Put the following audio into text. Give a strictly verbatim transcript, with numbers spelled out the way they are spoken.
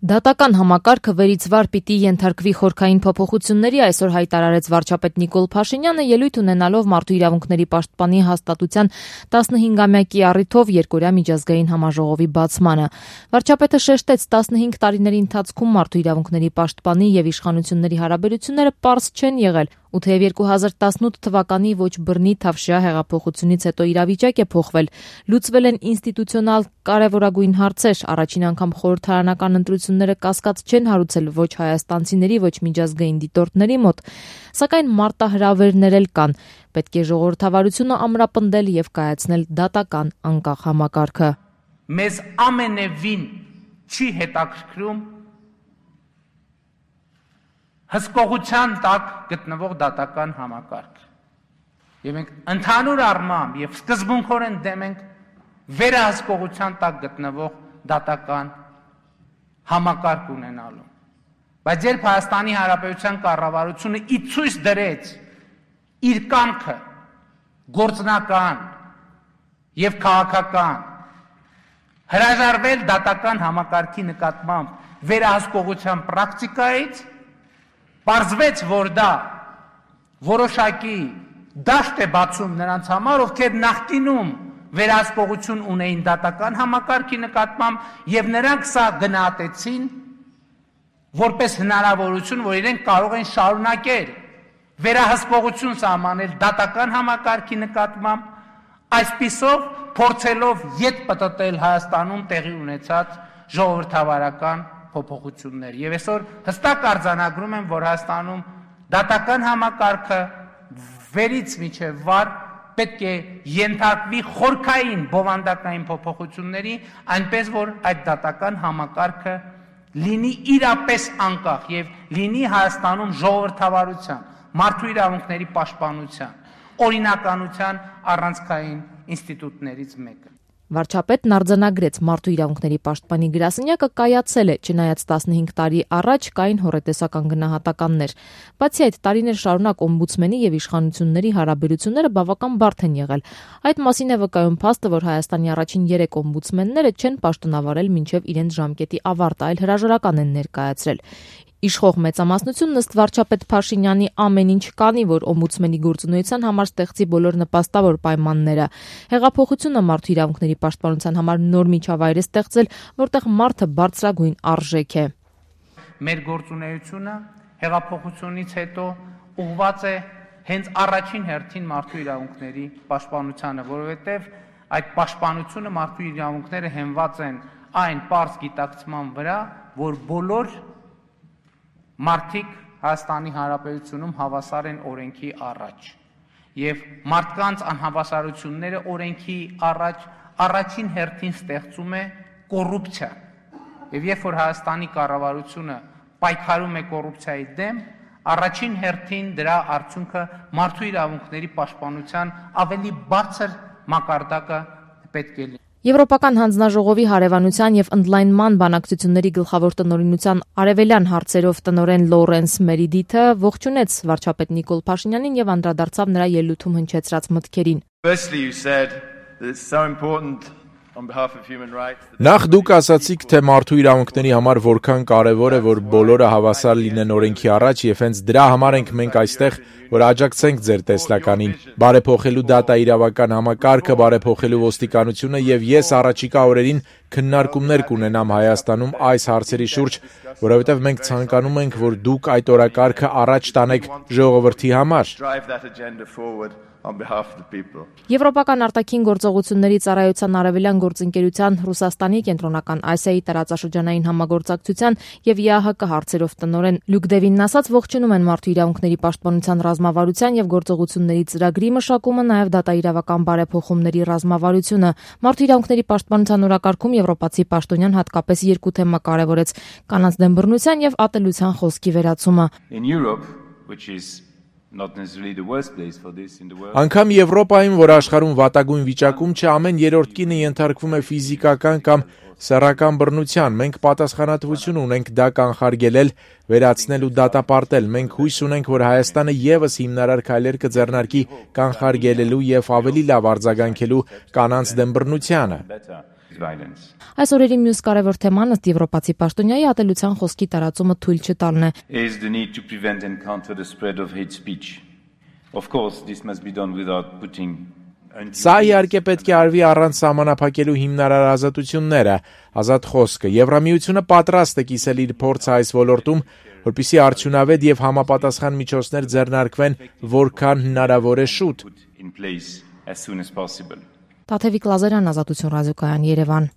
Դատական համակարգը վերից վար պիտի ենթարկվի խորքային փոփոխությունների, այսօր հայտարարեց վարչապետ Նիկոլ Փաշինյանը, ելույթ ունենալով Մարդու իրավունքների պաշտպանի հաստատության տասնհինգամյակի առիթով երկօրյա միջազգային համաժողովի բացմանը։ Վարչապետը շեշտեց, տասնհինգ տարիների ընթացքում Մարդու իրավունքների պաշտպանի եւ իշխանությունների հարաբերությունները պարզ չեն եղել, ու թեև երկու հազար տասնութ թվականի ոչ բռնի Թավշյա հեղափոխությունից հետո իրավիճակ է փոխվել, լուծվել են ինստիտուցիոնալ կարևորագույն հարցեր, առաջին անգամ խորհրդարանական ընտրությունները կասկած չեն հարուցել ոչ հայաստանցիների, ոչ միջազգային դիտորդների մոտ, սակայն մարտահրավերներ էլ կան, պետք է ժողովրդավարությունը ամրապնդել եւ կայացնել դատական անկախ համակարգը։ Մեզ ամենևին չի հետաքրքրում հսկողության տակ գտնվող դատական համակարգ։ Եվ մենք ընդհանուր առմամբ եւ սկզբունքորեն դեմ ենք վերահսկողության տակ գտնվող դատական համակարգ ունենալու։ Բայց երբ Հայաստանի Հանրապետության կառավարությունը ի ցույց դրեց իր կամքը գործնական եւ քաղաքական հրաժարվել դատական համակարգի նկատմամբ վերահսկողության պրակտիկայից, պարզվեց, որ դա որոշակի դաշտ է բացում նրանց համար, ովքեր նախկինում վերահսկողություն ունեին դատական համակարգի նկատմամբ եւ նրանք սա գնահատեցին որպես հնարավորություն, որ իրենք կարող են շարունակել վերահսկողություն սահմանել դատական համակարգի նկատմամբ, այսպիսով փորձելով ետ պտտել Հայաստանում տեղի ունեցած ժողովրդավարական փոփոխություններ։ Եվ այսօր հստակ արձանագրում եմ, որ Հայաստանում դատական համակարգը վերից մինչև վար պետք է ենթարկվի խորքային բովանդակային փոփոխությունների, այնպես որ այդ դատական համակարգը լինի իրապես անկախ եւ լինի Հայաստանում ժողովրդավարության, մարդու իրավունքների պաշտպանության, օրինականության առանցքային ինստիտուտներից մեկը։ Վարչապետն արձանագրեց, Մարդու իրավունքների պաշտպանի գրասենյակը կայացել է, չնայած տասնհինգ տարի առաջ կային հոռետեսական գնահատականներ։ Բացի այդ, տարիներ շարունակ օմբուդսմենի եւ իշխանությունների հարաբերությունները բավական բարդ են եղել։ Այդ մասին է վկայում փաստը, որ Հայաստանի առաջին երեք օմբուդսմենները չեն պաշտոնավարել մինչև իրենց ժամկետի ավարտը, այլ հրաժարական են ներկայացրել։ Իշխող մեծամասնությունն ըստ վարչապետ Փաշինյանի ամեն ինչ կանի, որ օմբուդսմենի գործունեության համար ստեղծի բոլոր նպաստավոր պայմանները։ Հեղափոխությունը մարդու իրավունքների պաշտպանության համար նոր միջավայր է ստեղծել, որտեղ մարդը բարձրագույն արժեք է։ Մեր գործունեությունը հեղափոխությունից հետո ուղղված է հենց առաջին հերթին մարդու իրավունքների պաշտպանությանը, որովհետև այդ պաշտպանությունը մարդու իրավունքները հենված են այն պարզ գիտակցման վրա, որ բոլոր մարդիկ Հայաստանի Հանրապետությունում հավասար են օրենքի առաջ եւ մարդկանց անհավասարությունները օրենքի առաջ առաջին հերթին ստեղծում է կոռուպցիա եւ երբ որ Հայաստանի կառավարությունը պայքարում է կոռուպցիայի դեմ, առաջին հերթին դրա արդյունքը մարդու իրավունքների պաշտպանության ավելի բարձր մակարդակը պետք է լինի։ Եվրոպական հանձնաժողովի հարևանության եւ ընդլայնման բանակցությունների գլխավոր տնօրինության արևելյան հարցերով տնօրեն Լորենս Մերիդիթը ողջունեց վարչապետ Նիկոլ Փաշինյանին եւ անդրադարձավ նրա ելույթում հնչեցրած մտքերին։ Նախ դուք ասացիք, թե մարդու իրավունքների համար որքան կարևոր է, որ բոլորը հավասար լինեն օրենքի առաջ եւ հենց դրա համար ենք մենք այստեղ, որ աջակցենք ձեր տեսլականին, բարեփոխելու դատաիրավական համակարգը, բարեփոխելու ոստիկանությունը եւ ես առաջիկա օրերին քննարկումներ կունենամ Հայաստանում այս հարցերի շուրջ, որովհետեւ մենք ցանկանում ենք, որ դուք այդ օրակարգը առաջ տանեք ժողովրդի համար։ Եվրոպական արտաքին գործողությունների ծառայության արևելյան գործընկերության Ռուսաստանի կենտրոնական Ասիայի տարածաշրջանային համագործակցության եւ ԵԱՀԿ հարցերով տնօրեն Լյուկ Դևինն ասաց, ողջունում են մարդու իրավունքների պաշտպանության ռազմավարության եւ գործողությունների ծրագրի մշակումը, նաեւ դատաիրավական բարեփոխումների ռազմավարությունը։ Մարդու իրավունքների պաշտպանության օրակարգում եվրոպացի պաշտոնյան հատկապես երկու թեմա կարևորեց՝ կանանց դեմ բռնության եւ ատելության խոսքի վերացումը։ Անգամ Եվրոպայում, որ աշխարհում վատագույն վիճակում չէ, ամեն երրորդ կինը ենթարկվում է ֆիզիկական կամ սեռական բռնության։ Մենք պատասխանատվություն ունենք դա կանխարգելել, վերացնել ու դատապարտել։ Մենք հույս ունենք, որ Հայաստանը եւս հիմնարար քայլեր կձեռնարկի կանխարգելելու եւ ավելի լավ արձագանքելու կանանց դեմ բռնությանը։ Այս օրերի մյուս կարևոր թեման ըստ եվրոպացի պաշտոնյայի ատելության խոսքի տարածումը թույլ չտալն է։ Is the need to prevent and counter the spread of hate speech. Of course, this must be done without putting Սա իհարկե պետք է արվի առանց սահմանափակելու հիմնարար ազատությունները, ազատ խոսքը։ Եվրամիությունը պատրաստ է կիսել իր փորձը այս ոլորտում, որպեսզի արդյունավետ եւ համապատասխան միջոցներ ձեռնարկվեն որքան հնարավոր է շուտ։ Տաթևիկ Լազարյան, Ազատություն ռադիոկայան, Երևան։